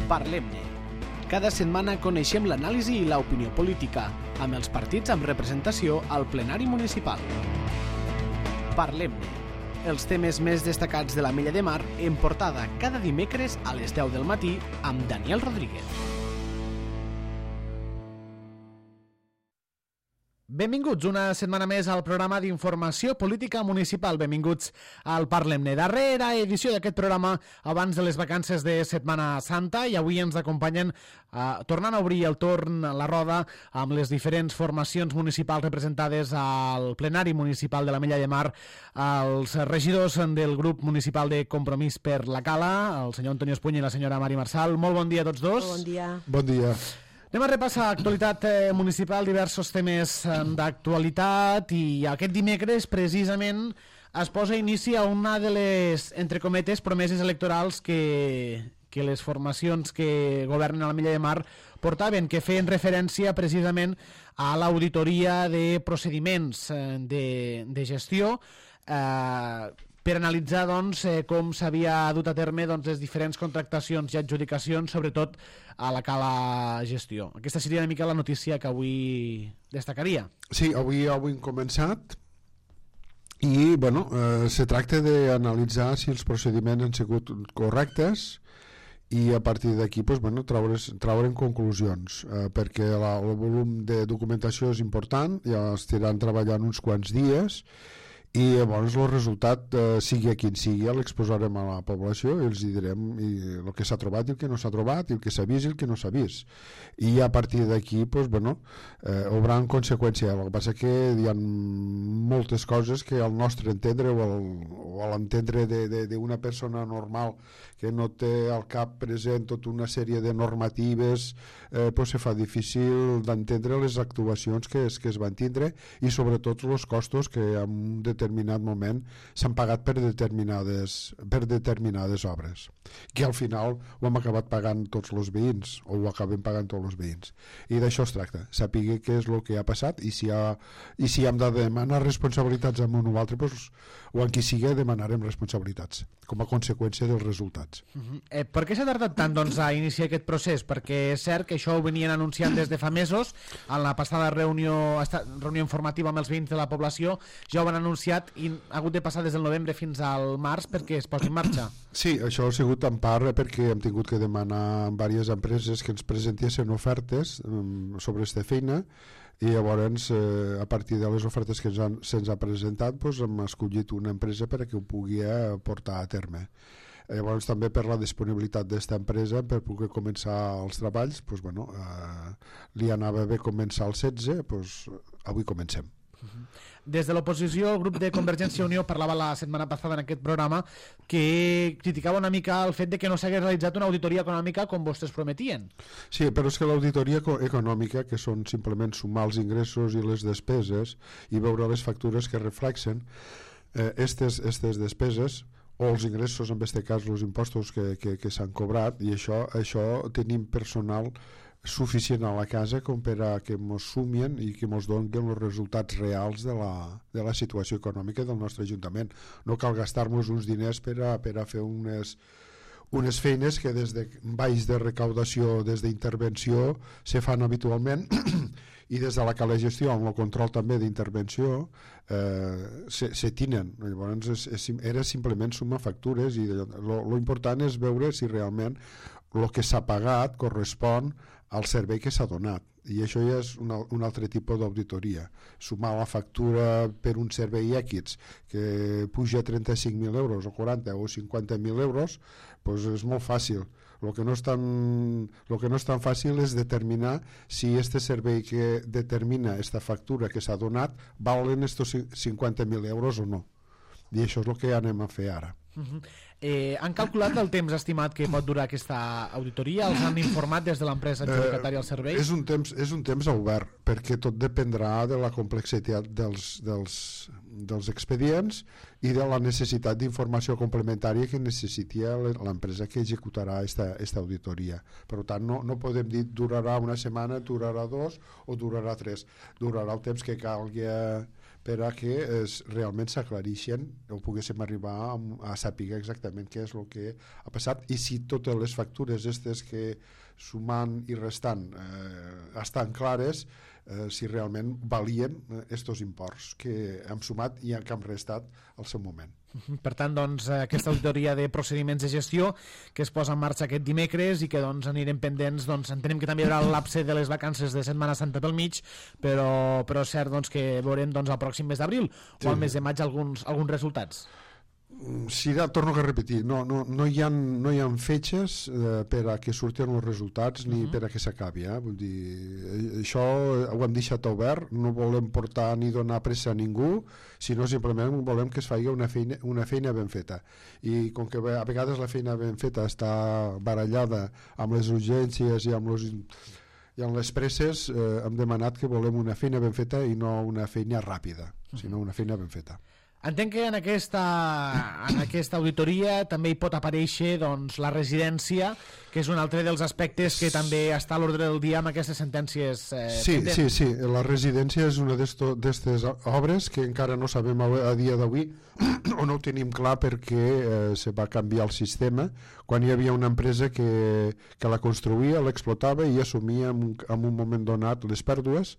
Parlem-ne. Cada setmana coneixem l'anàlisi i l'opinió política, amb els partits amb representació al plenari municipal. Parlem-ne. Els temes més destacats de l'Ametlla de Mar en portada cada dimecres a les 10 del matí amb Daniel Rodríguez. Benvinguts una setmana més al programa d'informació política municipal. Benvinguts al Parlem-ne. Darrera edició d'aquest programa abans de les vacances de Setmana Santa i avui ens acompanyen tornant a obrir el torn a la roda amb les diferents formacions municipals representades al plenari municipal de l'Ametlla de Mar, els regidors del grup municipal de Compromís per la Cala, el senyor Antonio Espuña i la senyora Mari Marsal. Molt bon dia a tots dos. Bon dia. Bon dia. Anem a repassar actualitat municipal, diversos temes d'actualitat, i aquest dimecres precisament es posa inici a una de les, entre cometes, promeses electorals que les formacions que governen a l'Ametlla de Mar portaven, que feien referència precisament a l'auditoria de procediments de gestió per analitzar com s'havia dut a terme les diferents contractacions i adjudicacions, sobretot a la Cala Gestió. Aquesta seria una mica la notícia que avui destacaria. Sí, avui hem començat i se tracta d'analitzar si els procediments han sigut correctes i a partir d'aquí traure'n conclusions, perquè el volum de documentació és important, ja estiran treballant uns quants dies i llavors el resultat, sigui quin sigui, l'exposarem a la població i els direm el que s'ha trobat i el que no s'ha trobat, i el que s'ha vist i el que no s'ha vist, i a partir d'aquí obran conseqüència. El que passa que hi ha moltes coses que al nostre entendre o a l'entendre d'una persona normal que no té al cap present tota una sèrie de normatives, se fa difícil d'entendre les actuacions que es van tindre i sobretot els costos que en un determinat moment s'han pagat per determinades obres, que al final ho hem acabat pagant tots els veïns, o ho acabem pagant tots els veïns, i d'això es tracta, saber què és el que ha passat i si hem de demanar responsabilitats amb un o altre, o en qui sigui demanarem responsabilitats com a conseqüència dels resultats. Per què s'ha tardat tant a iniciar aquest procés? Perquè és cert que això ho venien anunciant des de fa mesos, en la passada reunió informativa amb els veïns de la població ja ho van anunciat i ha hagut de passar des del novembre fins al març perquè es posi en marxa. Sí, això ha sigut en part perquè hem tingut que demanar a diverses empreses que ens presentessin ofertes sobre aquesta feina, i llavors a partir de les ofertes que se'ns ha presentat hem escollit una empresa perquè ho pugui portar a terme. Llavors també per la disponibilitat d'esta empresa per poder començar els treballs, li anava bé començar el 16, avui comencem. Des de l'oposició, el grup de Convergència i Unió parlava la setmana passada en aquest programa que criticava una mica el fet de que no s'hagués realitzat una auditoria econòmica com vostès prometien. Sí, però és que l'auditoria econòmica, que són simplement sumar els ingressos i les despeses i veure les factures que reflexen aquestes despeses o els ingressos, en aquest cas els impostos que s'han cobrat, i això tenim personal suficient a la casa com per a que ens sumien i que ens donin els resultats reals de la situació econòmica del nostre Ajuntament. No cal gastar-nos uns diners per a fer unes feines que des de baix de recaudació, des d'intervenció, se fan habitualment i des de la Cala Gestió, amb el control també d'intervenció, se tinen. Llavors era simplement sumar factures i lo important és veure si realment el que s'ha pagat correspon al servei que s'ha donat, i això ja és un altre tipus d'auditoria. Sumar la factura per un servei X que puja 35.000 euros o 40 o 50.000 euros, és molt fàcil. El que no és tan fàcil és determinar si este servei que determina esta factura que s'ha donat valen estos 50.000 euros o no, i això és el que anem a fer ara. Han calculat el temps estimat que pot durar aquesta auditoria? Els han informat des de l'empresa adjudicatària als serveis? És un temps obert, perquè tot dependrà de la complexitat dels expedients i de la necessitat d'informació complementària que necessiti l'empresa que executarà aquesta auditoria. Per tant, no podem dir durarà una setmana, durarà 2 o durarà 3. Durarà el temps que calgui per a que realment s'aclareixen o poguéssim arribar a saber exactament què és el que ha passat i si totes les factures aquestes que sumant i restant estan clares, si realment valien estos imports que hem sumat i que hem restat al seu moment. Per tant, doncs, aquesta auditoria de procediments de gestió que es posa en marxa aquest dimecres i que doncs, anirem pendents, doncs, entenem que també hi haurà el lapse de les vacances de Setmana Santa pel mig, però és cert doncs, que veurem doncs, al pròxim mes d'abril o al mes de maig alguns resultats. Sí, torno a repetir, no hi ha fetges per a que surtin els resultats ni per a que s'acabi. Vull dir, això ho hem deixat obert, no volem portar ni donar pressa a ningú, sinó simplement volem que es faci una feina ben feta. I com que a vegades la feina ben feta està barallada amb les urgències i amb les presses, hem demanat que volem una feina ben feta i no una feina ràpida, sinó una feina ben feta. Entenc que en aquesta auditoria també hi pot aparèixer doncs, la residència, que és un altre dels aspectes que també està a l'ordre del dia amb aquestes sentències pendents. Sí, la residència és una d'aquestes obres que encara no sabem a dia d'avui o no ho tenim clar perquè se va canviar el sistema quan hi havia una empresa que la construïa, l'explotava i assumia en un moment donat les pèrdues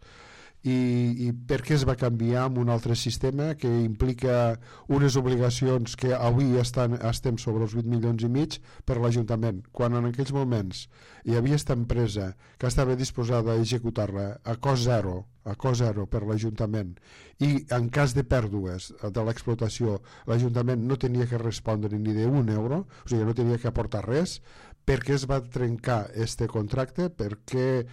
i perquè es va canviar amb un altre sistema que implica unes obligacions que avui estem sobre els 8 milions i mig per l'Ajuntament, quan en aquells moments hi havia aquesta empresa que estava disposada a executar-la a cost zero per l'Ajuntament i en cas de pèrdues de l'explotació l'Ajuntament no tenia que respondre ni d'un euro, o sigui no tenia que aportar res, perquè es va trencar este contracte, perquè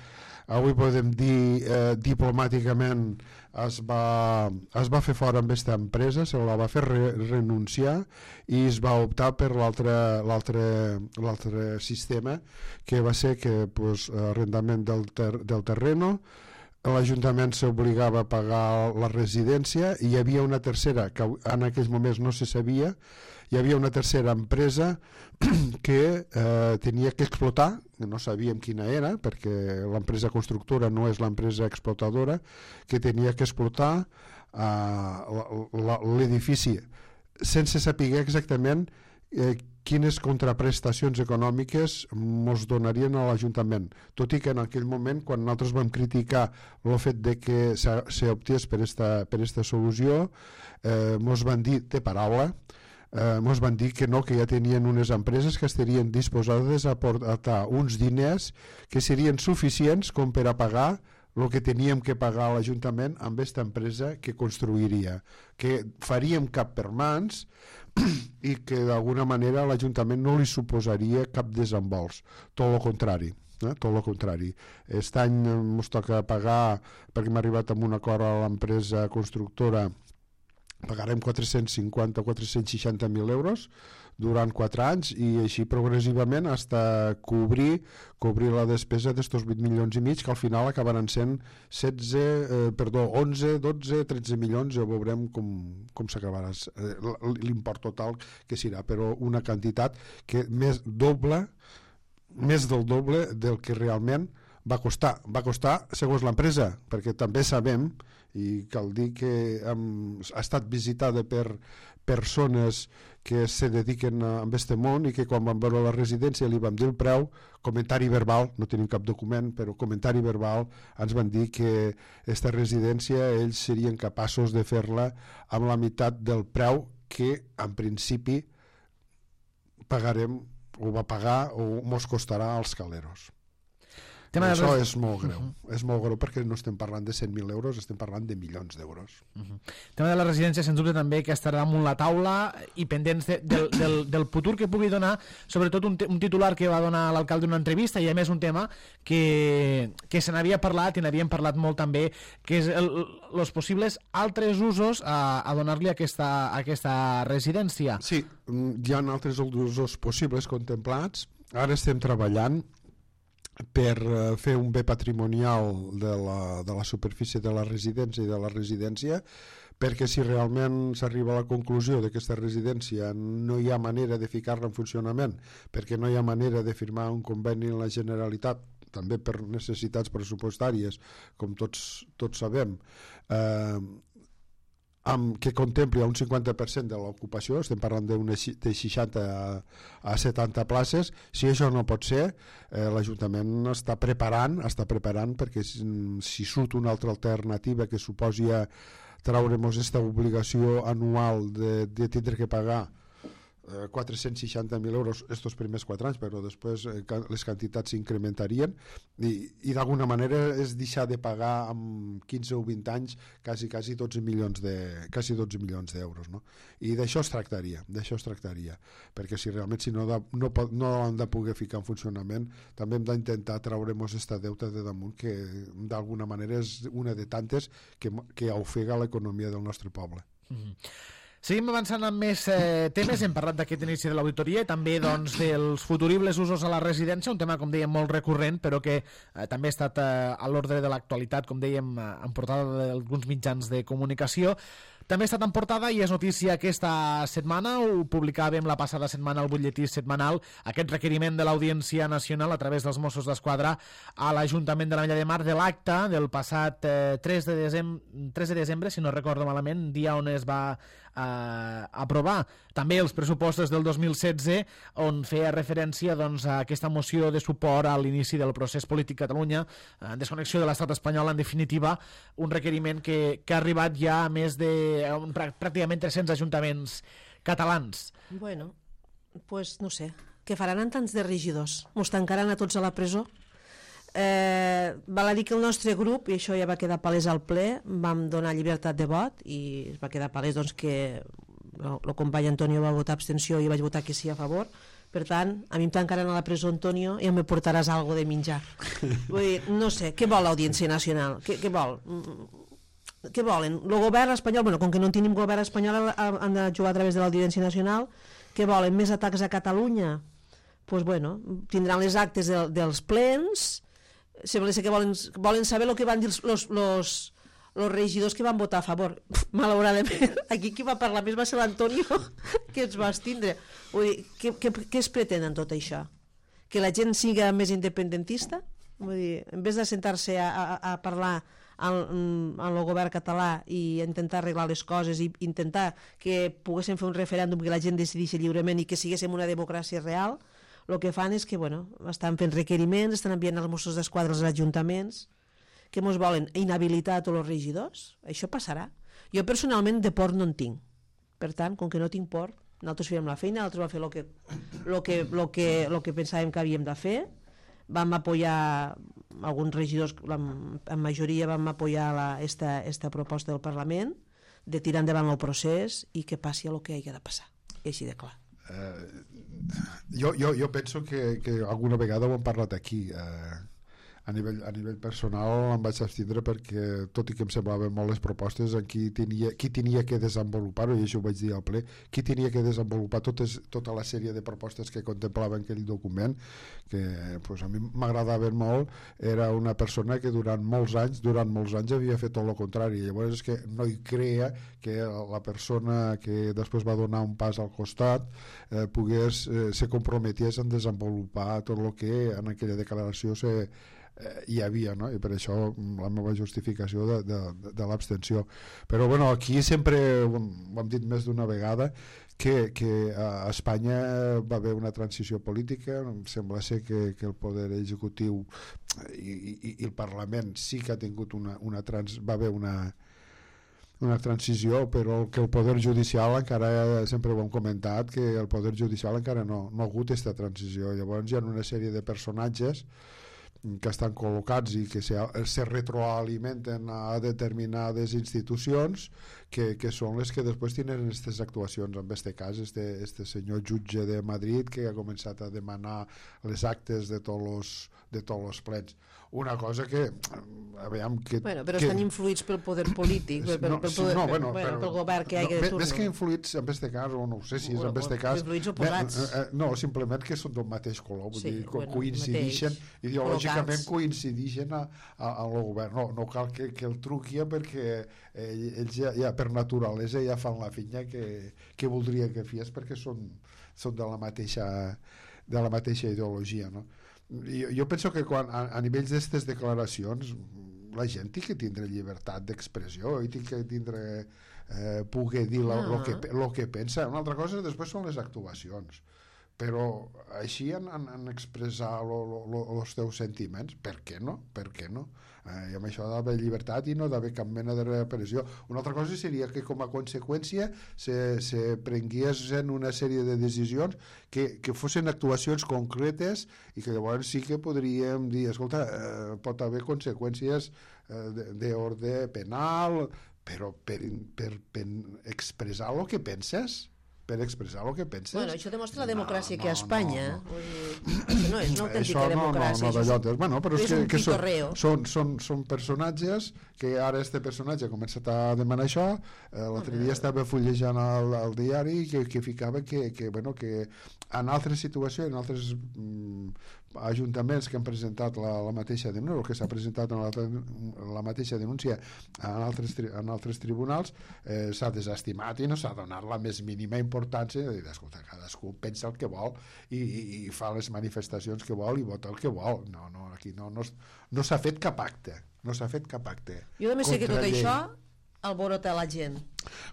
avui podem dir diplomàticament es va fer fora amb aquesta empresa, se la va fer renunciar i es va optar per l'altre sistema que va ser que arrendament del terreno, l'Ajuntament s'obligava a pagar la residència i hi havia una tercera que en aquells moments no se sabia, hi havia una tercera empresa que tenia que explotar, no sabíem quina era perquè l'empresa constructora no és l'empresa explotadora, que tenia que explotar l'edifici sense saber exactament quines contraprestacions econòmiques ens donarien a l'Ajuntament, tot i que en aquell moment quan nosaltres vam criticar el fet de que s'optés per esta solució ens van dir de paraula, ens van dir que no, que ja tenien unes empreses que estarien disposades a aportar uns diners que serien suficients com per a pagar el que teníem que pagar a l'Ajuntament amb aquesta empresa que construiria, que faríem cap per mans i que d'alguna manera a l'Ajuntament no li suposaria cap desembols, tot el contrari. Tot el contrari. Aquest any ens toca pagar, perquè hem arribat a un acord a l'empresa constructora, pagarem 450 o 460.000 euros durant 4 anys i així progressivament fins a cobrir la despesa d'estos 8 milions i mig, que al final acabaran sent 11, 12, 13 milions, ja veurem com s'acabarà l'import total que serà, però una quantitat que més del doble del que realment va costar segons l'empresa, perquè també sabem, i cal dir que ha estat visitada per persones que se dediquen a aquest món i que quan van veure la residència li vam dir el preu, comentari verbal, no tenim cap document, però comentari verbal, ens van dir que aquesta residència ells serien capaços de fer-la amb la meitat del preu que en principi pagarem o va pagar o mos costarà als caleros. Això és molt greu, perquè no estem parlant de 100.000 euros, estem parlant de milions d'euros. Tema de la residència, sens dubte també que estarà damunt la taula i pendents del futur que pugui donar, sobretot un titular que va donar l'alcalde en una entrevista i a més un tema que se n'havia parlat i n'havíem parlat molt també, que és els possibles altres usos a donar-li a aquesta residència. Sí, hi ha altres usos possibles contemplats. Ara estem treballant per fer un bé patrimonial de la superfície de la residència i de la residència, perquè si realment s'arriba a la conclusió que aquesta residència no hi ha manera de ficar-la en funcionament, perquè no hi ha manera de firmar un conveni en la Generalitat, també per necessitats pressupostàries, com tots sabem, que contempli un 50% de l'ocupació, estem parlant de 60 a 70 places. Si això no pot ser, l'Ajuntament està preparant perquè si surt una altra alternativa que suposi trauremos esta obligació anual de tindre que pagar 460.000 euros estos primers 4 anys, però després les quantitats s'incrementarien i d'alguna manera és deixar de pagar amb 15 o 20 anys quasi 12 milions d'euros, no? I d'això es tractaria, perquè si realment no han de poder ficar en funcionament, també hem d'intentar traure'ns esta deuta de damunt, que d'alguna manera és una de tantes que ofega l'economia del nostre poble. Seguim avançant amb més temes. Hem parlat d'aquest inici de l'auditoria i també doncs, dels futuribles usos a la residència, un tema, com dèiem, molt recurrent, però que també ha estat a l'ordre de l'actualitat, com dèiem, en portada d'alguns mitjans de comunicació. També ha estat en portada i és notícia aquesta setmana, ho publicàvem la passada setmana al butlletí setmanal, aquest requeriment de l'Audiència Nacional a través dels Mossos d'Esquadra a l'Ajuntament de l'Ametlla de Mar de l'acte del passat 3 de desembre, si no recordo malament, dia on es va aprovar també els pressupostos del 2016, on feia referència doncs, a aquesta moció de suport a l'inici del procés polític a Catalunya, en desconnexió de l'estat espanyol, en definitiva, un requeriment que ha arribat ja a més de pràcticament 300 ajuntaments catalans. Bueno, pues no sé, què faran en tants de regidors? Mos tancaran a tots a la presó? Val a dir que el nostre grup, i això ja va quedar palès al ple, vam donar llibertat de vot i es va quedar palès doncs, que el company Antonio va votar abstenció i vaig votar que sí a favor. Per tant, a mi em tancaran a la presó, Antonio, i em portaràs algo de menjar. Vull dir, no sé, què vol l'Audiència Nacional? Què vol? Què volen? El govern espanyol, bueno, com que no tenim govern espanyol, han de jugar a través de l'Audiència Nacional. Què volen? Més atacs a Catalunya? Doncs bueno, tindran les actes dels plens. Sembla que volen saber el que van dir els regidors que van votar a favor. Malauradament, aquí qui va parlar més va ser l'Antonio, que ens va abstindre. Vull dir, què es pretén en tot això? Que la gent siga més independentista? Vull dir, en vez de sentar-se a parlar amb el govern català i intentar arreglar les coses i intentar que poguéssim fer un referèndum que la gent decideixi lliurement i que siguéssim una democràcia real, el que fan és que estan fent requeriments, estan enviant els Mossos d'Esquadra als ajuntaments, que mos volen inhabilitar a tots els regidors. Això passarà. Jo personalment de por no en tinc. Per tant, com que no tinc por, nosaltres fèiem la feina, nosaltres vam fer el que pensàvem que havíem de fer. Vam apoyar alguns regidors, en majoria vam apoyar esta proposta del Parlament de tirar endavant el procés i que passi el que hagi de passar. I així de clar. Jo penso que alguna vegada ho hem parlat aquí. A nivell personal em vaig abstindre perquè, tot i que em semblaven molt les propostes, qui tenia que desenvolupar-ho, i això ho vaig dir al ple, qui tenia que desenvolupar tota la sèrie de propostes que contemplava aquell document, que a mi m'agradaven molt, era una persona que durant molts anys havia fet tot el contrari. Llavors és que no hi creia que la persona que després va donar un pas al costat se comprometés en desenvolupar tot el que en aquella declaració hi havia, no? I per això la meva justificació de l'abstenció. Però bueno, aquí sempre ho hem dit més d'una vegada que a Espanya va haver una transició política. Em sembla ser que el poder executiu i el Parlament sí que ha tingut va haver una transició, però que el poder judicial encara, sempre ho hem comentat, que el poder judicial encara no ha hagut aquesta transició. Llavors hi ha una sèrie de personatges que estan col·locats i que se retroalimenten a determinades institucions que són les que després tenen aquestes actuacions. En aquest cas, este senyor jutge de Madrid que ha començat a demanar les actes de tots els plens. Una cosa que però estan influïts pel poder polític, pel govern que hi ha de turno. Més que influïts en aquest cas, o no sé si és en aquest cas, influïts oposats. No, simplement que són d'un mateix color, vull dir, coincidixen ideològicament, coincidixen al govern. No cal que el truqui, perquè ells ja per naturalesa ja fan la feina que voldria que fes, perquè són de la mateixa ideologia, no? Jo penso que quan a nivells d'aquestes declaracions la gent té que tindre llibertat d'expressió i té que tindre poder dir lo que pensa. Una altra cosa després són les actuacions, però així en expressar els teus sentiments, per què no? I amb això d'haver llibertat i no d'haver cap mena de repressió. Una altra cosa seria que com a conseqüència se prenguessin una sèrie de decisions que fossin actuacions concretes i que llavors sí que podríem dir, escolta, pot haver conseqüències d'ordre penal, però per expressar el que penses, Bueno, això demostra la democràcia que a Espanya. Això no és una autèntica democràcia. Bueno, però és un pitorreo. Són personatges que ara este personatge ha començat a demanar això. L'altre dia estava fullejant el diari que ficava que en altres situacions, en altres ajuntaments que han presentat la mateixa denúncia, que s'ha presentat la mateixa denúncia en altres tribunals, s'ha desestimat i no s'ha donat la més mínima importància. Escolta, cadascú pensa el que vol i fa les manifestacions que vol i vota el que vol. Aquí no s'ha fet cap acte. Jo també sé que tot això alborota la gent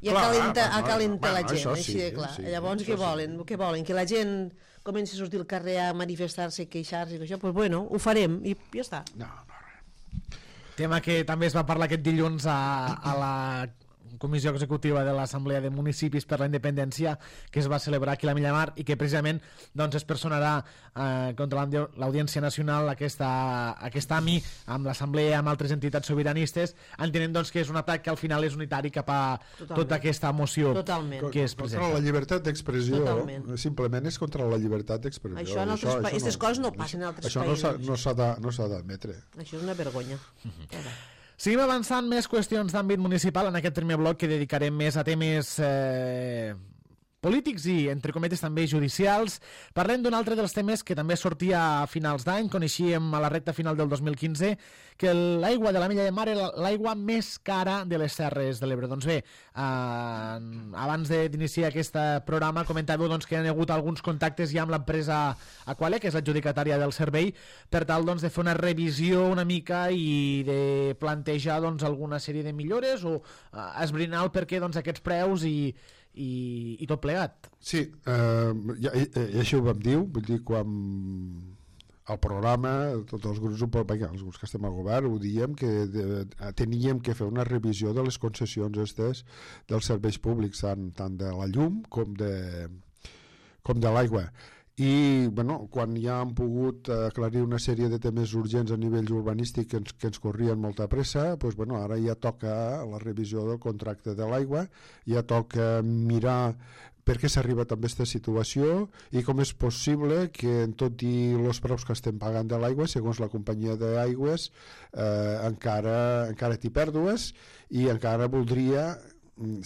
i acalenta la gent, així de clar. Llavors què volen? Que la gent comenci a sortir al carrer a manifestar-se, queixar-se i això, doncs bueno, ho farem i ja està. Tema que també es va parlar aquest dilluns a la Comissió Executiva de l'Assemblea de Municipis per la Independència, que es va celebrar aquí a la Millamar i que precisament es personarà contra l'Audiència Nacional aquesta AMI amb l'Assemblea, amb altres entitats sobiranistes, entenent que és un atac que al final és unitari cap a tota aquesta moció que es presenta. Contra la llibertat d'expressió, simplement és contra la llibertat d'expressió. Aquestes coses no passen en altres països. Això no s'ha d'admetre. Això és una vergonya. Seguim avançant més qüestions d'àmbit municipal en aquest primer bloc que dedicarem més a temes polítics i, entre cometes, també judicials. Parlem d'un altre dels temes que també sortia a finals d'any. Coneixíem a la recta final del 2015 que l'aigua de la Milla de Mar era l'aigua més cara de les Terres de l'Ebre. Doncs bé, abans d'iniciar aquest programa comentàveu que hi ha hagut alguns contactes ja amb l'empresa Aquale, que és l'adjudicatària del servei, per tal de fer una revisió una mica i de plantejar alguna sèrie de millores o esbrinar el perquè aquests preus i tot plegat. Sí, i això ho vam dir, vull dir, quan el programa, tots els grups, els grups que estem al govern, ho diem que teníem que fer una revisió de les concessions dels serveis públics, tant de la llum com de l'aigua. I quan ja han pogut aclarir una sèrie de temes urgents a nivell urbanístic que ens corrien molta pressa, ara ja toca la revisió del contracte de l'aigua, ja toca mirar per què s'ha arribat a aquesta situació i com és possible que en tot i els preus que estem pagant de l'aigua, segons la companyia d'aigües, encara té pèrdues i encara voldria,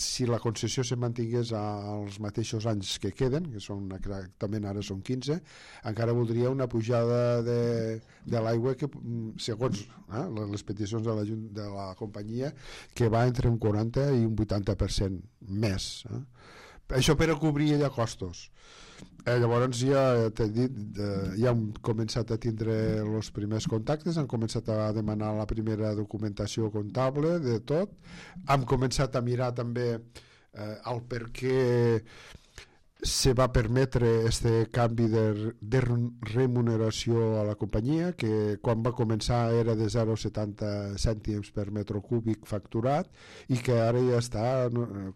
si la concessió se mantingués als mateixos anys que queden, que són exactament ara són 15, encara voldria una pujada de l'aigua que, segons les peticions de la companyia, que va entre un 40 i un 80% més. Això per a cobrir ja costos. Llavors ja hem començat a tindre els primers contactes, hem començat a demanar la primera documentació comptable de tot, hem començat a mirar també el per què se va permetre este canvi de remuneració a la companyia, que quan va començar era de 0,70 cèntims per metre cúbic facturat i que ara ja està,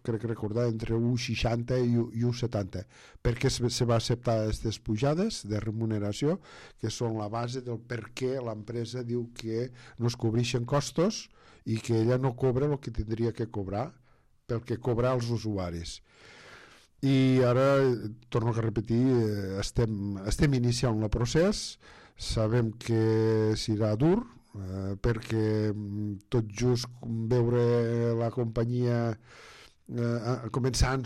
crec recordar, entre 1,60 i 1,70. Per què se va acceptar aquestes pujades de remuneració, que són la base del per què l'empresa diu que no es cobreixen costos i que ella no cobra el que tindria que cobrar pel que cobrar els usuaris. I ara, torno a repetir, estem iniciant el procés, sabem que serà dur, perquè tot just veure la companyia començar a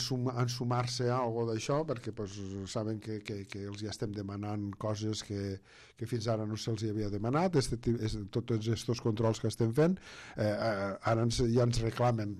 ensumar-se a algo d'això, perquè pues, saben que els ja estem demanant coses que fins ara no se'ls havia demanat, tots aquests controls que estem fent, ara ja ens reclamen,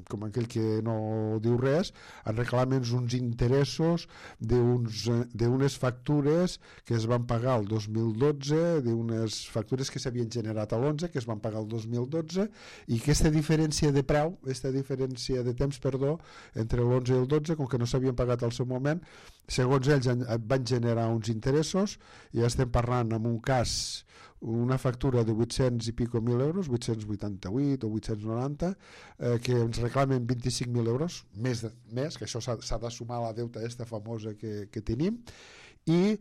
com aquell que no diu res, ens reclamen uns interessos d'unes factures que es van pagar el 2012, d'unes factures que s'havien generat a l'11, que es van pagar el 2012, i aquesta diferència de preu, aquesta diferència de temps, entre l'11 i el 12, com que no s'havien pagat al seu moment, segons ells van generar uns interessos, i estem parlant en un cas una factura de 800 i pico mil euros, 888 o 890, que ens reclamen 25.000 euros, més, que això s'ha de sumar a la deuta aquesta famosa que tenim, i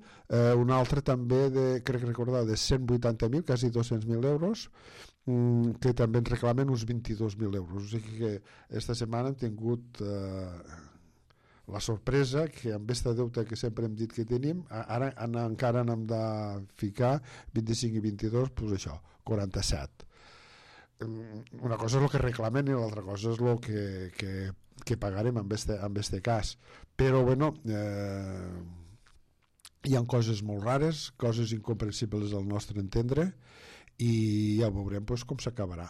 un altre també, crec recordar, de 180.000, quasi 200.000 euros, que també ens reclamen uns 22.000 euros. O sigui que esta setmana hem tingut la sorpresa que amb aquesta deuta que sempre hem dit que tenim, ara encara n'hem de ficar 25 i 22, doncs això, 47. Una cosa és el que reclamen i l'altra cosa és el que pagarem en este cas. Però, bueno, hi ha coses molt rares, coses incomprensibles al nostre entendre, i ja veurem pues, com s'acabarà.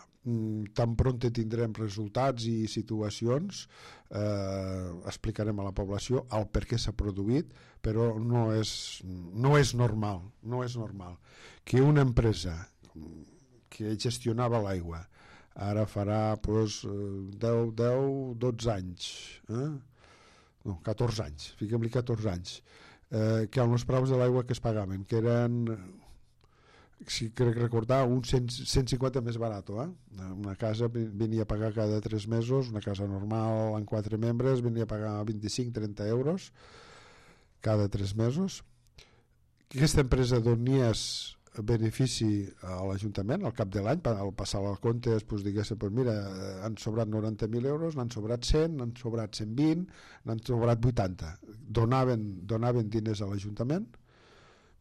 Tan prompte tindrem resultats i situacions, explicarem a la població el per què s'ha produït, però no és normal que una empresa que gestionava l'aigua ara farà pues, 10-12 anys, no, 14 anys, fiquem-li 14 anys, que amb els preus de l'aigua que es pagaven, que eren, si crec recordar, un 150 més barat, una casa venia a pagar cada 3 mesos, una casa normal amb 4 membres venia a pagar 25-30 euros cada 3 mesos. Aquesta empresa donies benefici a l'Ajuntament al cap de l'any, al passar els comptes, doncs diguéssim, doncs mira, han sobrat 90.000 euros, n'han sobrat 100, n'han sobrat 120, n'han sobrat 80. Donaven diners a l'Ajuntament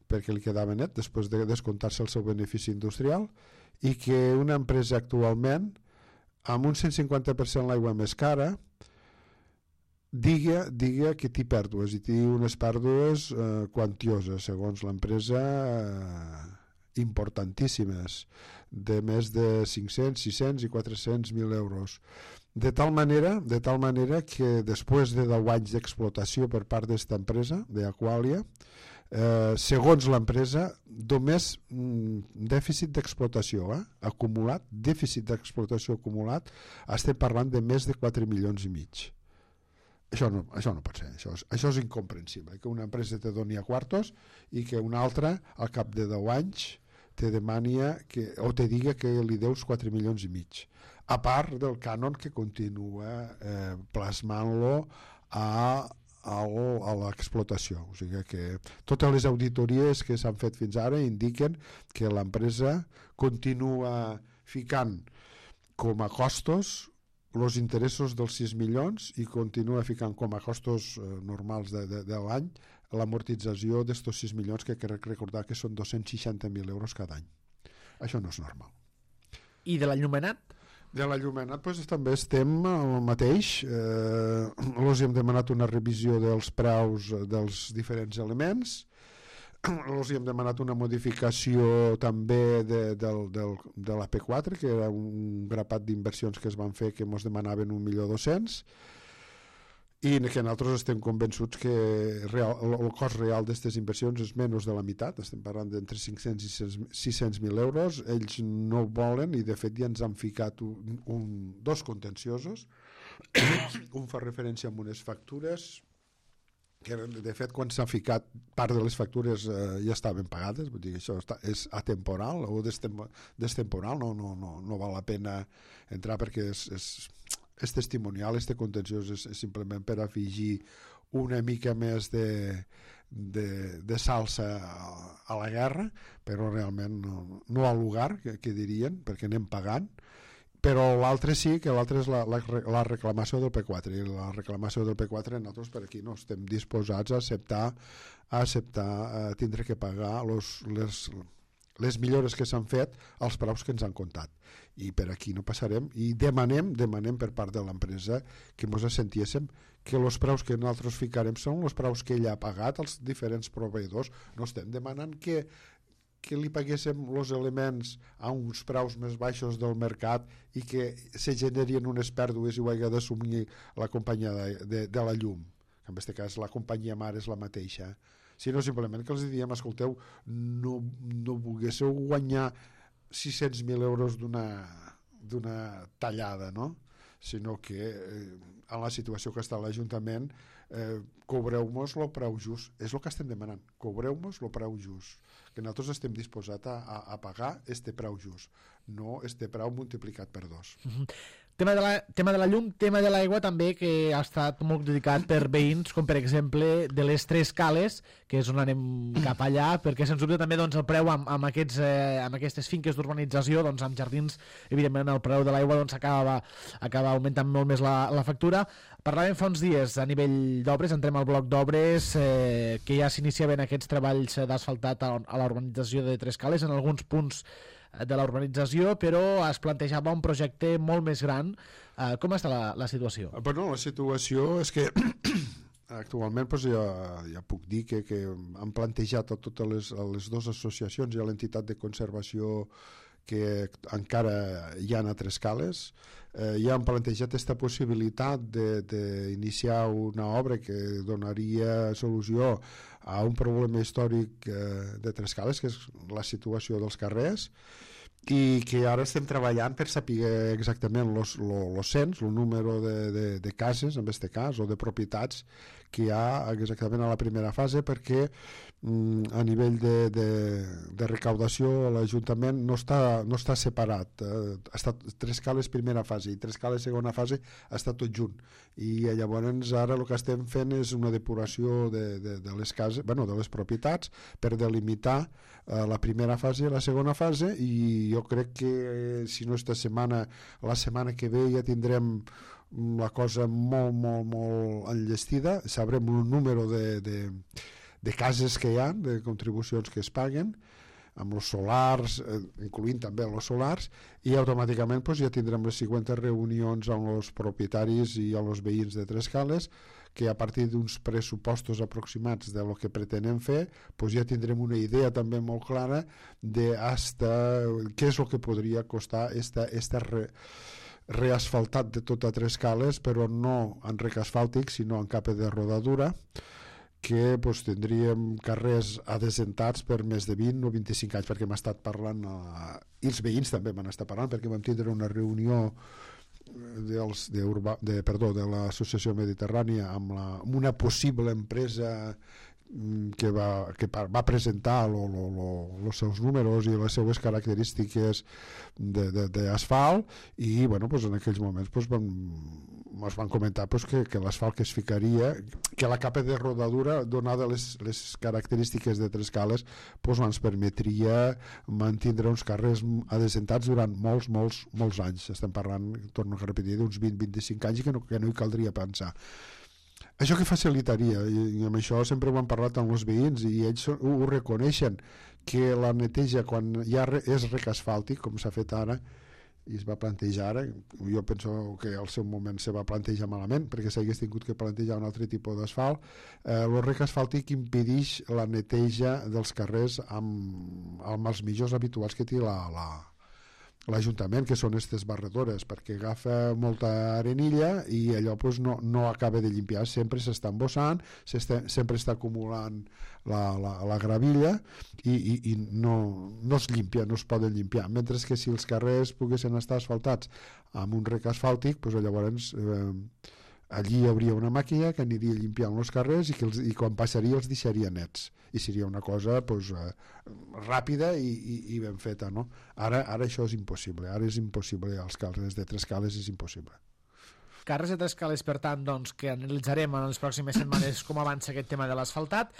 perquè li quedava net després de descomptar-se el seu benefici industrial, i que una empresa actualment amb un 150% l'aigua més cara diga que té pèrdues, i té unes pèrdues quantioses, segons l'empresa, importantíssimes, de més de 500, 600 i 400.000 euros. De tal manera que després de 10 anys d'explotació per part d'esta empresa, d'Aqualia, segons l'empresa, només dèficit d'explotació acumulat, estem parlant de més de 4 milions i mig. Això no pot ser, això és incomprensible, que una empresa te doni a quartos i que una altra al cap de 10 anys te demani o te diga que li deus 4 milions i mig, a part del cànon que continua plasmant-lo a l'explotació. O sigui que totes les auditories que s'han fet fins ara indiquen que l'empresa continua ficant com a costos els interessos dels 6 milions i continua ficant com a costos normals de l'any l'amortització d'estos 6 milions, que crec recordar que són 260.000 euros cada any. Això no és normal. I de l'enllumenat? De l'enllumenat doncs, també estem al mateix. Els hem demanat una revisió dels preus dels diferents elements. Els hem demanat una modificació també de la P4, que era un grapat d'inversions que es van fer que ens demanaven 1.200.000, i que nosaltres estem convençuts que el cost real d'aquestes inversions és menys de la meitat, estem parlant d'entre 500 i 600.000 euros. Ells no volen, i de fet ja ens han ficat dos contenciosos. Un fa referència a unes factures que de fet quan s'ha ficat part de les factures ja estaven pagades, vull dir que això és atemporal o destemporal, no val la pena entrar perquè és testimonial, este contenciós és simplement per afegir una mica més de salsa a la guerra, però realment no al lugar, que dirien, perquè anem pagant. Però l'altre sí, que l'altre és la reclamació del P4, i la reclamació del P4 nosaltres per aquí no estem disposats a acceptar tindre que pagar les millores que s'han fet als preus que ens han comptat. I per aquí no passarem i demanem per part de l'empresa que ens assentiéssim que els preus que nosaltres ficarem són els preus que ella ha pagat als diferents proveïdors. No estem demanant que li paguéssim els elements a uns preus més baixos del mercat i que se generin unes pèrdues i ho hagi d'assumir la companyia de la llum. En aquest cas la companyia mare és la mateixa, sinó simplement que els diem, escolteu, no volguéssiu guanyar 600.000 euros d'una tallada, no? Sinó que en la situació que està l'Ajuntament cobreu-nos el preu just, és el que estem demanant, cobreu-nos el preu just, que nosaltres estem disposats a pagar este preu just, no este preu multiplicat per 2. Tema de la llum, tema de l'aigua també, que ha estat molt criticat per veïns, com per exemple de les Tres Cales, que és on anem cap allà, perquè sens dubte també doncs, el preu amb aquestes finques d'urbanització, doncs, amb jardins, evidentment el preu de l'aigua doncs, acaba augmentant molt més la factura. Parlàvem fa uns dies a nivell d'obres, entrem al bloc d'obres, que ja s'iniciaven aquests treballs d'asfaltat a la urbanització de Tres Cales, en alguns punts de la urbanització, però es plantejava un projecte molt més gran. Com està la situació? Bueno, la situació és que actualment doncs, ja puc dir que han plantejat a totes les dues associacions i a l'entitat de conservació que encara hi ha a Tres Cales, ja han plantejat aquesta possibilitat d'iniciar una obra que donaria solució a un problema històric de Tres Cales, que és la situació dels carrers, i que ara estem treballant per saber exactament el cens, el número de cases, en aquest cas, o de propietats que hi ha exactament a la primera fase, perquè a nivell de recaudació l'Ajuntament no està separat. Ha estat Tres Cales primera fase i Tres Cales segona fase està tot junt. I llavors ara el que estem fent és una depuració de les cases, bueno, de les propietats, per delimitar la primera fase i la segona fase, i jo crec que si no esta setmana, la setmana que ve ja tindrem la cosa molt, molt, molt enllestida, sabrem un número de cases que hi ha, de contribucions que es paguen, amb els solars, incloent també els solars, i automàticament doncs, ja tindrem les següents reunions amb els propietaris i amb els veïns de Tres Cales, que a partir d'uns pressupostos aproximats de lo que pretenem fer, doncs ja tindrem una idea també molt clara de què és el que podria costar esta reasfaltat de tota Tres Cales, però no en rec asfàltic, sinó en capa de rodadura, que doncs, tindríem carrers adesentats per més de 20 o 25 anys, perquè m'ha estat parlant, i els veïns també m'han estat parlant, perquè vam tindre una reunió de l'Associació Mediterrània amb una possible empresa que va presentar els seus números i les seues característiques d'asfalt, i bueno, doncs en aquells moments ens van comentar que l'asfalt que es ficaria, que la capa de rodadura, donada les característiques de Tres Cales, ens permetria mantindre uns carrers adesentats durant molts anys. Estem parlant, torno a repetir, d'uns 20-25 anys, i que no hi caldria pensar. Això que facilitaria, i amb això sempre ho han parlat amb els veïns, i ells ho reconeixen, que la neteja quan ja és rec asfàltic, com s'ha fet ara, i es va plantejar ara, jo penso que al seu moment se va plantejar malament, perquè s'hagués tingut que plantejar un altre tipus d'asfalt. El rec asfàltic impedeix la neteja dels carrers amb els millors habituals que té l'Ajuntament, que són aquestes barredores, perquè agafa molta arenilla i allò no acaba de limpiar, sempre s'està embossant, sempre està acumulant la gravilla i no es limpia, no es poden limpiar, mentre que si els carrers poguessin estar asfaltats amb un rec asfàltic, llavors allí hi hauria una màquina que aniria limpiant els carrers i quan passaria els deixaria nets, i seria una cosa ràpida i ben feta, no? Ara això és impossible, ara és impossible, als carrers de Tres Cales és impossible. Carrers de Tres Cales, per tant, doncs, que analitzarem en les pròximes setmanes com avança aquest tema de l'asfaltat.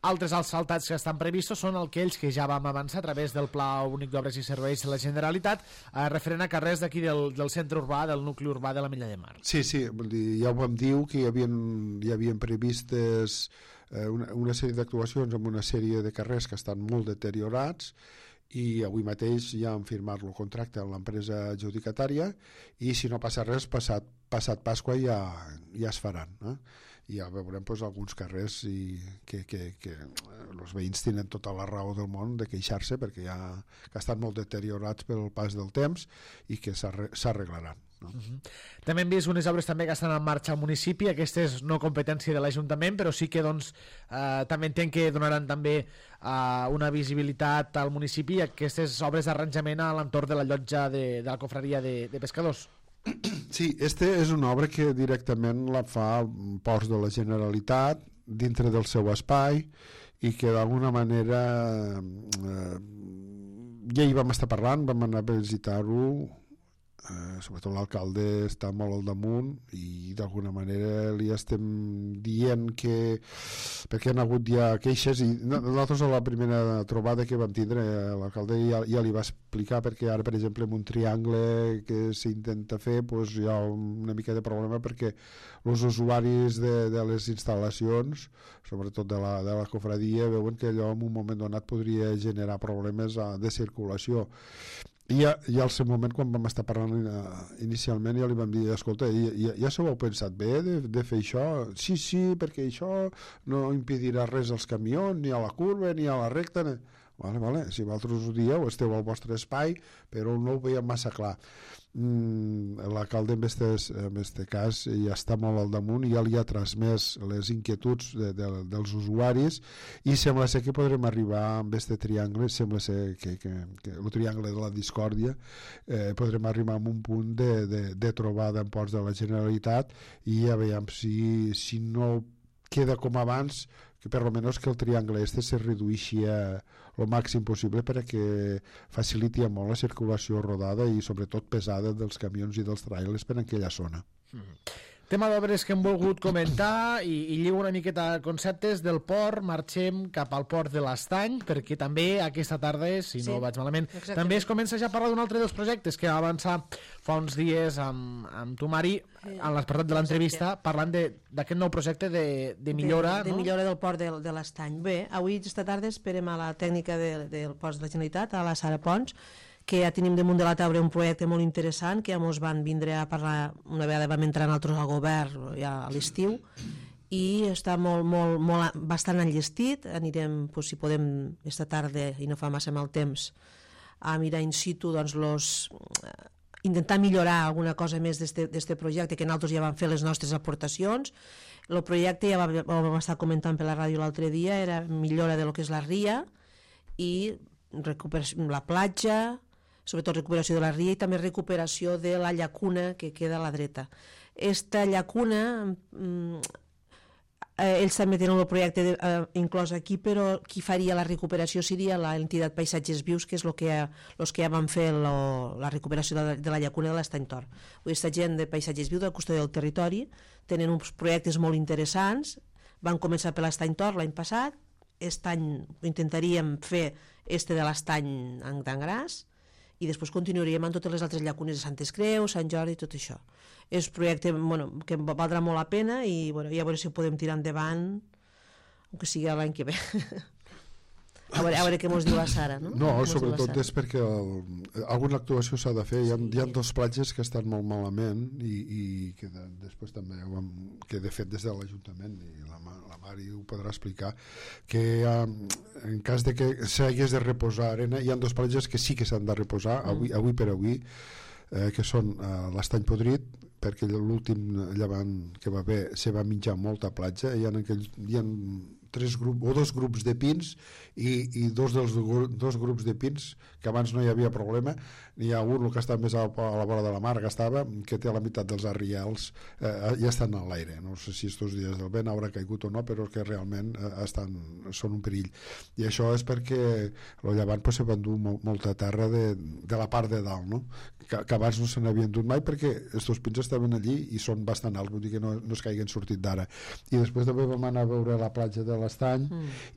Altres asfaltats que estan previstos són aquells que ja vam avançar a través del Pla Únic d'Obres i Serveis de la Generalitat, referent a carrers d'aquí del centre urbà, del nucli urbà de la Milla de Mar. Sí, ja ho vam dir, que hi havien previstes una sèrie d'actuacions amb una sèrie de carrers que estan molt deteriorats, i avui mateix ja han firmat el contracte amb l'empresa adjudicatària i si no passa res, passat Pasqua ja es faran, i ja veurem alguns carrers que els veïns tenen tota la raó del món de queixar-se perquè que estan molt deteriorats pel pas del temps i que s'arreglaran. També hem vist unes obres també que estan en marxa al municipi, aquestes no competència de l'Ajuntament, però sí que també entenc que donaran també una visibilitat al municipi aquestes obres d'arranjament a l'entorn de la llotja de la confraria de pescadors. Sí, és una obra que directament la fa Ports de la Generalitat dintre del seu espai i que d'alguna manera ja hi vam estar parlant, vam anar a visitar-ho, sobretot l'alcalde està molt al damunt i d'alguna manera li estem dient que perquè han hagut ja queixes i nosaltres a la primera trobada que vam tindre l'alcalde ja li va explicar perquè ara per exemple en un triangle que s'intenta fer hi ha una mica de problema perquè els usuaris de les instal·lacions sobretot de la cofradia veuen que allò en un moment donat podria generar problemes de circulació. I al seu moment, quan vam estar parlant inicialment, ja li vam dir, escolta, ja s'ho heu pensat bé de fer això? Sí, perquè això no impedirà res als camions, ni a la curva, ni a la recta. Vale, si vosaltres ho dieu, esteu al vostre espai, però no ho veiem massa clar. L'alcalde en aquest cas ja està molt al damunt i ja li ha transmès les inquietuds dels usuaris i sembla ser que podrem arribar amb aquest triangle, sembla ser que el triangle de la discòrdia podrem arribar a un punt de trobada en Ports de la Generalitat i ja veiem si no queda com abans que per almenys que el triangle se redueixi el màxim possible perquè faciliti molt la circulació rodada i sobretot pesada dels camions i dels trailers per aquella zona. Tema d'obres que hem volgut comentar i lligo una miqueta conceptes del port, marxem cap al port de l'Estany perquè també aquesta tarda, si no vaig malament, també es comença ja a parlar d'un altre dels projectes que va avançar fa uns dies amb tu Mari en l'apartat de l'entrevista parlant d'aquest nou projecte de millora de millora del port de l'Estany. Bé, avui aquesta tarda esperem a la tècnica del port de la Generalitat, a la Sara Pons, que ja tenim damunt de la taula un projecte molt interessant que ja ens van vindre a parlar una vegada vam entrar nosaltres al govern ja a l'estiu i està bastant enllestit. Anirem, si podem, esta tarda i no fa massa mal temps a mirar in situ intentar millorar alguna cosa més d'este projecte que nosaltres ja vam fer les nostres aportacions. El projecte ja vam estar comentant per la ràdio l'altre dia, era millora de lo que és la ria i la platja, sobretot recuperació de la ria i també recuperació de la llacuna que queda a la dreta. Esta llacuna, ells també tenen el projecte inclòs aquí, però qui faria la recuperació seria l'entitat Paisatges Vius, que és els que ja van fer la recuperació de la llacuna de l'Estany Tor. Aquesta gent de Paisatges Vius, de la custòdia del territori, tenen uns projectes molt interessants, van començar per l'Estany Tor l'any passat, aquest any intentaríem fer de l'Estany d'Angràs, i després continuaríem amb totes les altres llacunes de Santes Creus, Sant Jordi i tot això. És un projecte que valdrà molt la pena i ja veurem si ho podem tirar endavant, que sigui l'any que ve. A veure què ens diu la Sara, no? No, sobretot és perquè alguna actuació s'ha de fer. Hi ha dos platges que estan molt malament i que després també que de fet des de l'Ajuntament i la Mari ho podrà explicar que en cas de que s'hagués de reposar arena, hi ha dos platges que sí que s'han de reposar avui per avui, que són l'Estany Podrit, perquè l'últim llevant que va haver se va menjar molta platja, hi ha dos grups de pins i dos grups de pins que abans no hi havia problema, n'hi ha un que està més a la vora de la mar que té la meitat dels arrials ja estan a l'aire, no sé si estos dies del vent haurà caigut o no, però que realment són un perill i això és perquè el llevant se va endur molta terra de la part de dalt, no? Que abans no se n'havien dut mai perquè estos pins estaven allí i són bastant alts, vull dir que no es caiguen sortit d'ara. I després també vam anar a veure la platja de l'Estany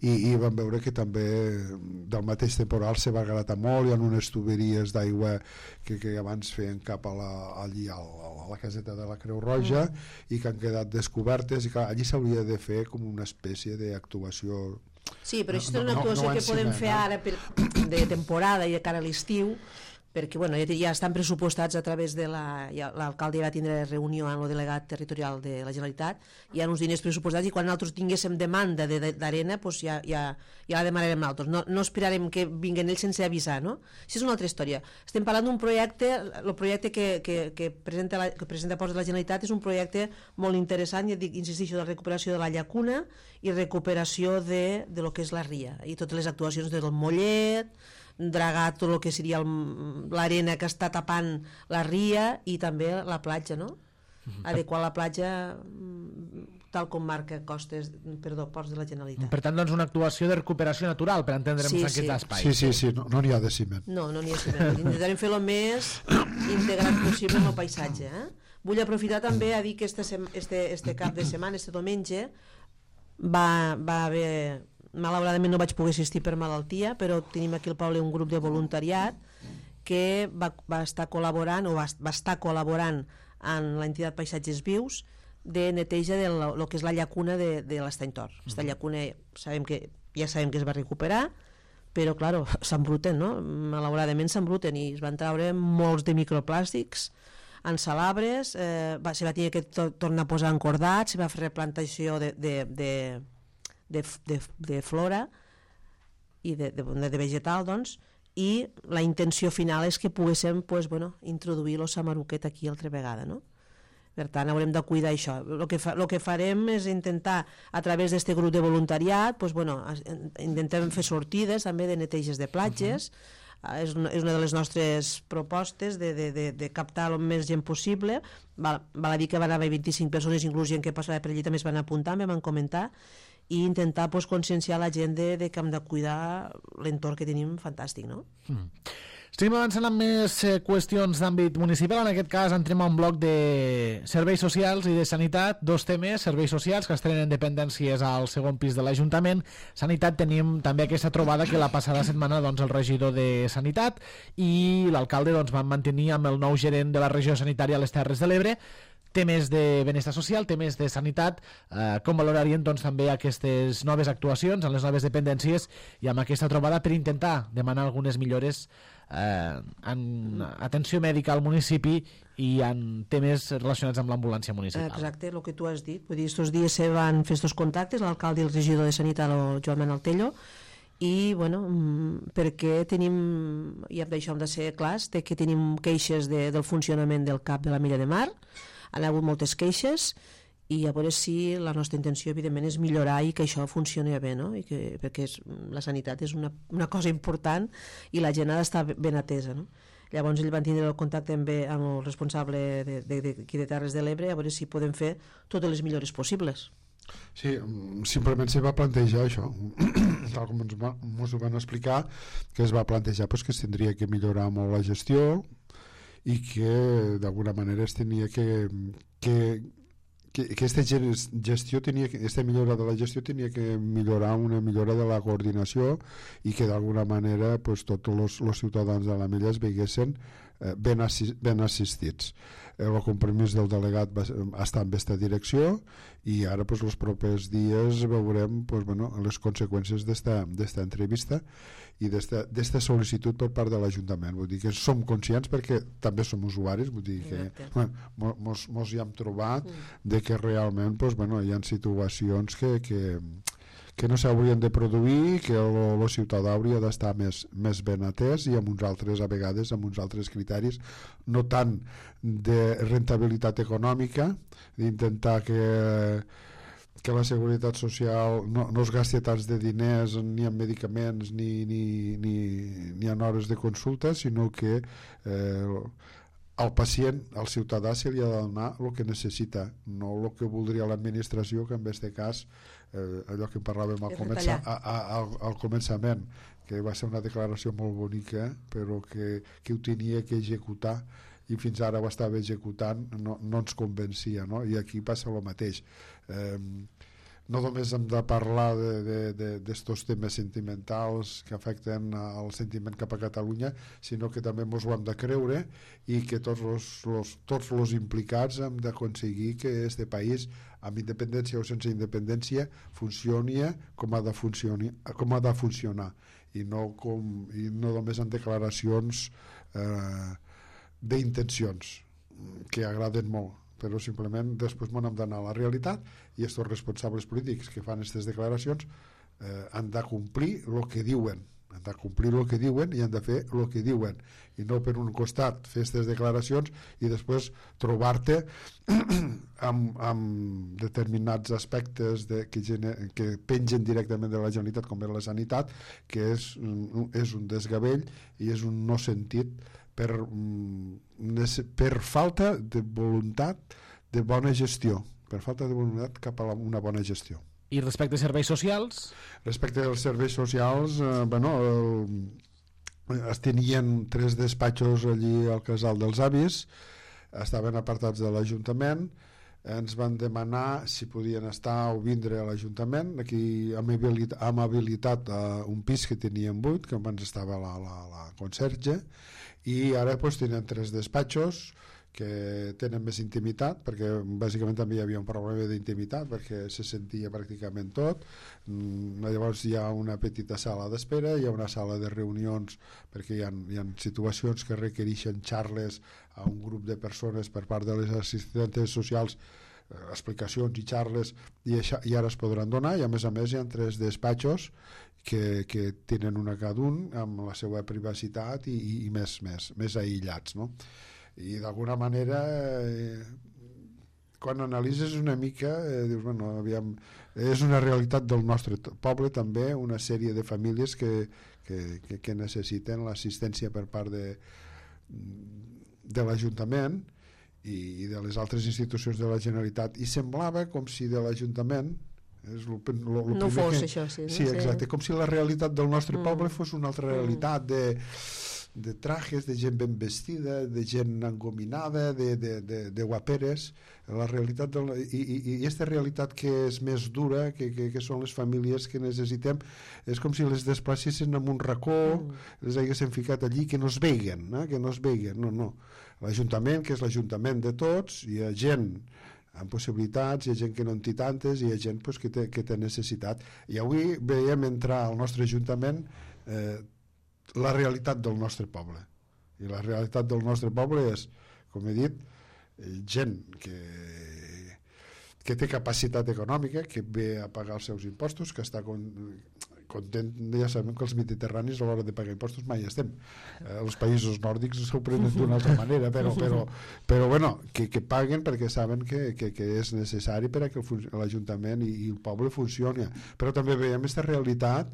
i vam veure que també del mateix temporal se va gratar molt, hi ha unes tuberies d'aigua que abans feien cap allí a la caseta de la Creu Roja i que han quedat descobertes i que allí s'hauria de fer com una espècie d'actuació Sí, però això és una actuació que podem fer ara de temporada i de cara a l'estiu, perquè bueno, ja estan pressupostats a través de l'alcalde va tindre reunió amb el delegat territorial de la Generalitat, hi ha uns diners pressupostats i quan nosaltres tinguéssim demanda d'arena doncs ja la demanarem nosaltres, no esperarem que vinguin ells sense avisar, no? Això és una altra història. Estem parlant d'un projecte, el projecte que presenta Ports de la Generalitat és un projecte molt interessant, ja dic, insisteixo, de recuperació de la llacuna i recuperació de lo que és la ria i totes les actuacions del mollet, dragar tot el que seria l'arena que està tapant la ria i també la platja, no? Adequar la platja tal com marca Ports de la Generalitat. Per tant, doncs, una actuació de recuperació natural, per entendre'ns en aquest espai. Sí, no n'hi ha de ciment. No n'hi ha de ciment. Intentarem fer el més integrat possible en el paisatge. Vull aprofitar també a dir que este cap de setmana, este diumenge, va haver... Malauradament no vaig poder assistir per malaltia, però tenim aquí al poble un grup de voluntariat que va estar col·laborant amb l'entitat Paisatges Vius de neteja de lo que és la llacuna de l'Estany Tor. Aquesta llacuna ja sabem que es va recuperar, però clar, s'embruten, no? Malauradament s'embruten i es van treure molts de microplàstics en salabres, se va tenir que tornar a posar encordats, se va fer replantació de flora i de vegetal, doncs, i la intenció final és que poguéssim introduir el samaruquet aquí altra vegada, no? Per tant, haurem de cuidar això. El que farem és intentar, a través d'aquest grup de voluntariat, intentem fer sortides també de neteges de platges. És una de les nostres propostes de captar el més gent possible. Val a dir que van haver 25 persones, inclús gent que passava per allí també es van apuntar, me van comentar, i intentar conscienciar la gent de que hem de cuidar l'entorn que tenim fantàstic, no? Estem avançant amb més qüestions d'àmbit municipal. En aquest cas entrem a un bloc de serveis socials i de sanitat, dos temes: serveis socials, que estrenen dependències al segon pis de l'Ajuntament. Sanitat, tenim també aquesta trobada que la passada setmana el regidor de Sanitat i l'alcalde van mantenir amb el nou gerent de la regió sanitària a les Terres de l'Ebre. Temes de benestar social, temes de sanitat, com valorarien també aquestes noves actuacions en les noves dependències i amb aquesta trobada per intentar demanar algunes millores en atenció mèdica al municipi i en temes relacionats amb l'ambulància municipal. Exacte, el que tu has dit. Vull dir, estos dies se van fer estos contactes, l'alcalde i el regidor de Sanitat, el Joan Manuel Tello, i perquè tenim, i d'això hem de ser clars, que tenim queixes del funcionament del CAP de la Milla de Mar. Han hagut moltes queixes i a veure si la nostra intenció evidentment és millorar i que això funcioni bé, no? Perquè la sanitat és una cosa important i la gent ha d'estar ben atesa, no? Llavors ell van tindre el contacte amb el responsable d'aquí de Terres de l'Ebre a veure si podem fer totes les millores possibles. Sí, simplement se va plantejar això, tal com ens ho van explicar, que es va plantejar que es tindria que millorar molt la gestió i que d'alguna manera es tenia que aquesta gestió aquesta millora de la gestió tenia que millorar una millora de la coordinació i que d'alguna manera tots els ciutadans de la Milla es veiessin ben assistits. El compromís del delegat està en aquesta direcció i ara els propers dies veurem les conseqüències d'esta entrevista i d'esta sol·licitud per part de l'Ajuntament. Vull dir que som conscients perquè també som usuaris, vull dir que mos hi hem trobat de que realment hi ha situacions que no s'haurien de produir, que el ciutadà hauria d'estar més ben atès i amb uns altres, a vegades, amb uns altres criteris, no tant de rentabilitat econòmica, d'intentar que la seguretat social no es gasti tants de diners ni en medicaments ni en hores de consulta, sinó que al pacient, al ciutadà, se li ha de donar el que necessita, no el que voldria l'administració, que en aquest cas allò que parlàvem al començament, que va ser una declaració molt bonica però que ho tenia que executar i fins ara ho estava executant, no ens convencia, no? I aquí passa el mateix. no només hem de parlar d'estos temes sentimentals que afecten al sentiment cap a Catalunya, sinó que també ens ho hem de creure i que tots els implicats hem d'aconseguir que este país, amb independència o sense independència, funcioni com ha de funcionar i no només en declaracions d'intencions que agraden molt, però simplement després m'hem d'anar a la realitat i aquests responsables polítics que fan aquestes declaracions han de complir el que diuen, i han de fer el que diuen, i no per un costat fer aquestes declaracions i després trobar-te amb determinats aspectes que pengen directament de la Generalitat, com és la sanitat, que és un desgavell i és un no sentit per falta de voluntat de bona gestió, per falta de voluntat cap a una bona gestió. I respecte a serveis socials? Respecte als serveis socials, es tenien 3 despatxos allí al Casal dels Avis, estaven apartats de l'Ajuntament, ens van demanar si podien estar o vindre a l'Ajuntament. Aquí hem habilitat un pis que teníem buit, que abans estava la conserge, i ara tenen 3 despatxos que tenen més intimitat, perquè bàsicament també hi havia un problema d'intimitat perquè se sentia pràcticament tot. Llavors hi ha una petita sala d'espera, hi ha una sala de reunions perquè hi ha situacions que requereixen xarles a un grup de persones per part de les assistentes socials, explicacions i xarles, i ara es podran donar, i a més hi ha 3 despatxos que tenen una cada un amb la seva privacitat i més aïllats, no? I d'alguna manera quan analitzes una mica dius, bueno, aviam, és una realitat del nostre poble també, una sèrie de famílies que necessiten l'assistència per part de l'Ajuntament i de les altres institucions de la Generalitat, i semblava com si de l'Ajuntament no fos això, sí. Sí, exacte, com si la realitat del nostre poble fos una altra realitat de trajes, de gent ben vestida, de gent engominada, de guaperes. La realitat i aquesta realitat que és més dura, que són les famílies que necessitem, és com si les desplacessin en un racó, les haguessin ficat allí, que no es veiguen, no. L'Ajuntament, que és l'Ajuntament de tots, hi ha gent amb possibilitats, hi ha gent que no en té tantes, hi ha gent que té necessitat. I avui veiem entrar al nostre Ajuntament la realitat del nostre poble, i la realitat del nostre poble és, com he dit, gent que té capacitat econòmica, que ve a pagar els seus impostos, que està content. Ja sabem que els mediterranis a l'hora de pagar impostos mai estem, els països nòrdics s'ho prenen d'una altra manera, però bueno, que paguen perquè saben que és necessari per a que l'Ajuntament i el poble funcioni. Però també veiem aquesta realitat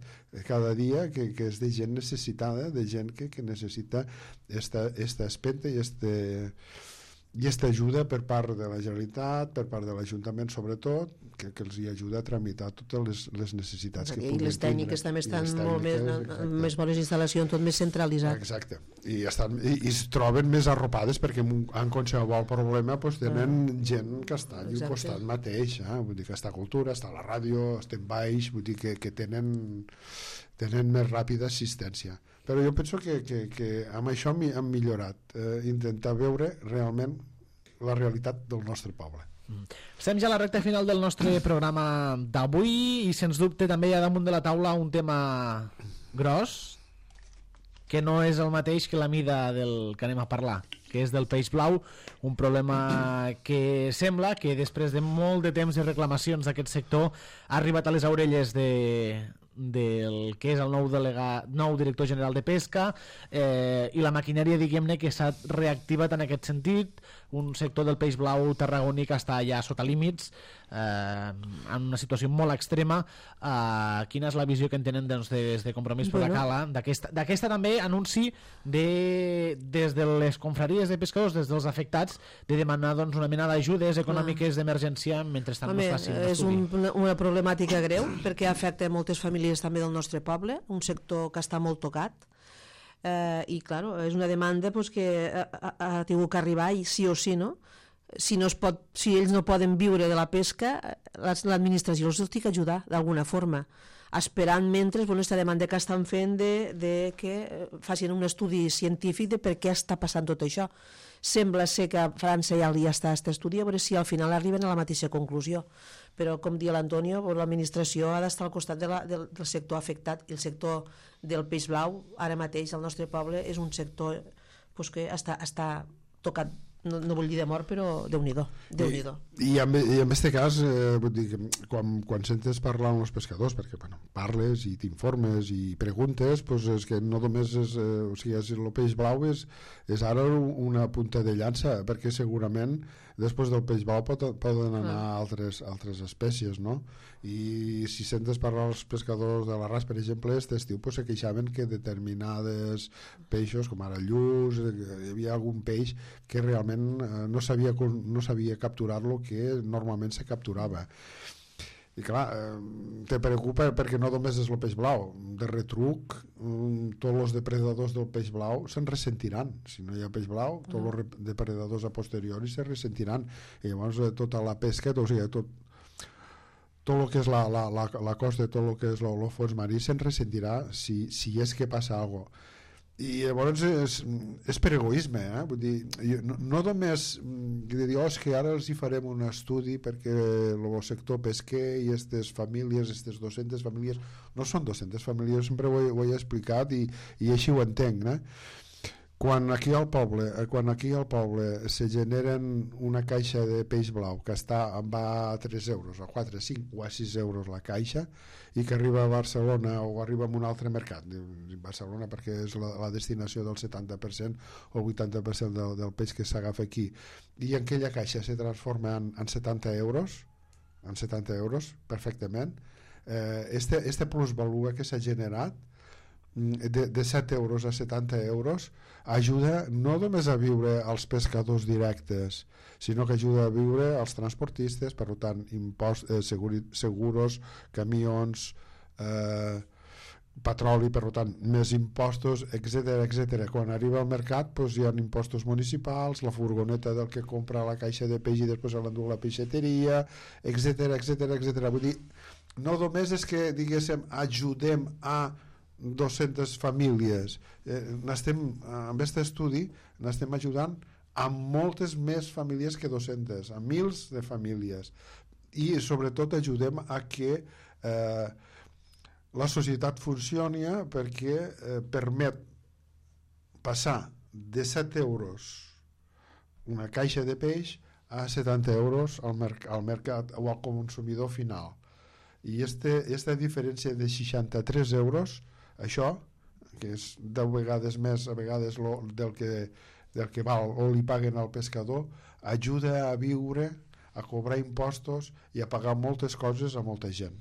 cada dia que és de gent necessitada, de gent que necessita esta espenta i aquesta ajuda per part de la Generalitat, per part de l'Ajuntament sobretot, que els hi ajuda a tramitar totes les necessitats que puguin tindre. I les tècniques també estan molt més bones instal·lacions, tot més centralitzat. Exacte, i es troben més arropades perquè en qualsevol problema tenen gent que està allà al costat mateix, vull dir que està cultura, està la ràdio, estem baix, vull dir que tenen més ràpida assistència. Però jo penso que amb això hem millorat, intentar veure realment la realitat del nostre poble. Estem ja a la recta final del nostre programa d'avui i sens dubte també hi ha damunt de la taula un tema gros que no és el mateix que la mida del que anem a parlar, que és del peix blau, un problema que sembla que després de molt de temps de reclamacions d'aquest sector ha arribat a les orelles del que és el nou director general de pesca i la maquinària, diguem-ne, que s'ha reactivat en aquest sentit. Un sector del peix blau tarragoní que està ja sota límits, en una situació molt extrema. Quina és la visió que en tenen des de Compromís per la Cala d'aquesta també anunci des de les confraries de pescadors, des dels afectats, de demanar una mena d'ajudes econòmiques d'emergència mentrestant no es faci un estudi? És una problemàtica greu perquè afecta moltes famílies també del nostre poble, un sector que està molt tocat, i clar, és una demanda que ha tingut que arribar i sí o sí, no? si ells no poden viure de la pesca, l'administració els té que ajudar d'alguna forma, esperant mentre aquesta demanda que estan fent de que facin un estudi científic de per què està passant tot això. Sembla ser que a França ja està aquest estudi, a veure si al final arriben a la mateixa conclusió, però com dia l'Antonio, l'administració ha d'estar al costat del sector afectat, i el sector del peix blau ara mateix al nostre poble és un sector que està tocat, no vull dir de mort, però Déu-n'hi-do. I en aquest cas, vull dir, quan sentes parlar amb els pescadors, perquè parles i t'informes i preguntes, és que no només el peix blau és ara una punta de llança, perquè segurament després del peix blau poden anar altres espècies, no? I si sentes parlar als pescadors de l'Arràs, per exemple, aquest estiu se queixaven que determinades peixos, com ara lluç, hi havia algun peix que realment no sabia capturar-lo que normalment se capturava. I clar, te preocupa perquè no només és el peix blau, de retruc tots els depredadors del peix blau se'n ressentiran. Si no hi ha peix blau, tots els depredadors a posteriori se ressentiran, i llavors tota la pesca, o sigui, tot el que és la costa, tot el que és el fons marí se'n ressentirà si és que passa alguna cosa. I llavors és per egoisme, vull dir, no només dir, és que ara els hi farem un estudi perquè el sector pesquer i aquestes famílies, aquestes 200 famílies, no són 200 famílies, sempre ho he explicat i així ho entenc, Quan aquí al poble se generen una caixa de peix blau que va a 3 euros, a 4, a 5 o a 6 euros la caixa, i que arriba a Barcelona o arriba a un altre mercat, Barcelona perquè és la destinació del 70% o 80% del peix que s'agafa aquí, i aquella caixa se transforma en 70 euros perfectament, este plusvalua que s'ha generat de 7 euros a 70 euros ajuda no només a viure als pescadors directes, sinó que ajuda a viure als transportistes, per tant seguros, camions, petroli, per tant més impostos, etc. Quan arriba al mercat hi ha impostos municipals, la furgoneta del que compra la caixa de peix i després l'endú a la peixateria, etc. Vull dir, no només és que diguéssim ajudem a 200 famílies, amb aquest estudi n'estem ajudant a moltes més famílies que 200, a mils de famílies, i sobretot ajudem a que la societat funcioni, perquè permet passar de 7 euros una caixa de peix a 70 euros al mercat o al consumidor final, i aquesta diferència de 63 euros, això, que és 10 vegades més a vegades del que val o li paguen al pescador, ajuda a viure, a cobrar impostos i a pagar moltes coses a molta gent.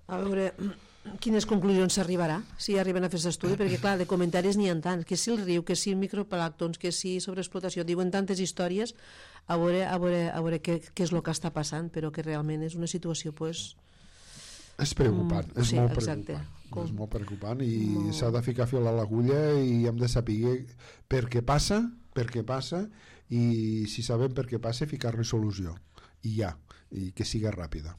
A veure, quines conclusions s'arribarà si arriben a fer aquest estudi, perquè clar, de comentaris n'hi ha tants, que si el riu, que si microplànctons, que si sobreexplotació, diuen tantes històries, a veure què és el que està passant, però que realment és una situació és preocupant, és molt preocupant, i s'ha de ficar fil a l'agulla i hem de saber per què passa, i si sabem per què passa, ficar-li solució, i que siga ràpida.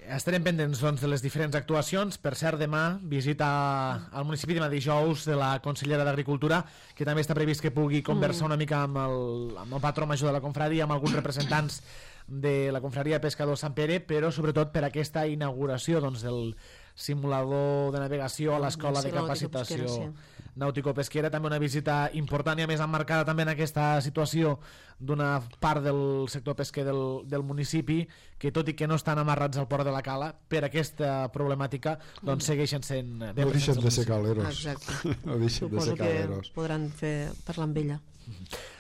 Estarem pendents de les diferents actuacions. Per cert, demà visita al municipi, demà dijous, de la consellera d'Agricultura, que també està previst que pugui conversar una mica amb el patró major de la confraria, amb alguns representants de la confraria Pescador Sant Pere, però sobretot per aquesta inauguració del simulador de navegació a l'escola de capacitació nàutico-pesquera, també una visita important i a més emmarcada també en aquesta situació d'una part del sector pesquer del municipi, que tot i que no estan amarrats al port de la Cala per aquesta problemàtica, segueixen sent no deixen de ser caleros. No deixen de ser caleros. Suposo que podran parlar amb ella.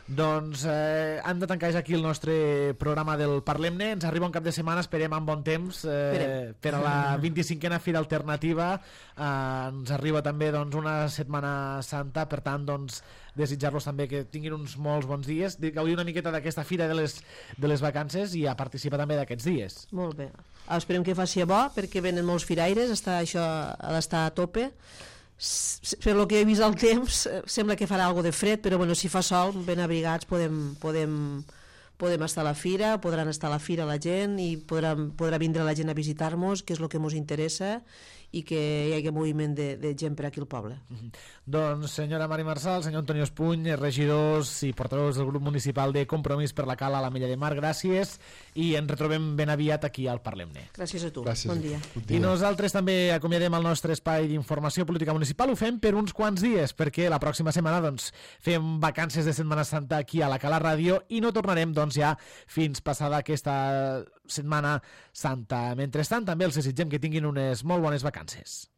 Doncs hem de tancar aquí el nostre programa del Parlem-ne. Ens arriba un cap de setmana, esperem amb bon temps, per a la 25a Fira Alternativa. Ens arriba també una Setmana Santa, per tant desitjar-los també que tinguin uns molts bons dies, gaudir una miqueta d'aquesta fira de les vacances i a participar també d'aquests dies. Molt bé, esperem que faci bo, perquè venen molts firaires, això ha d'estar a tope. Per el que he vist el temps sembla que farà alguna de fred, però si fa sol ben abrigats podem podem estar a la fira, podran estar a la fira la gent i podrà vindre la gent a visitar-nos, que és el que ens interessa, i que hi hagi moviment de gent per aquí al poble. Doncs senyora Mari Marçal, senyor Antonio Espuny, regidors i portaveus del grup municipal de Compromís per la Cala a l'Ametlla de Mar, gràcies, i ens retrobem ben aviat aquí al Parlem-ne. Gràcies a tu, Gràcies. bon dia. I nosaltres també acomiadem el nostre espai d'informació política municipal, ho fem per uns quants dies, perquè la pròxima setmana doncs, fem vacances de Setmana Santa aquí a la Cala Ràdio i no tornarem doncs, ja fins passada aquesta Setmana Santa. Mentrestant, també els desitgem que tinguin unes molt bones vacances.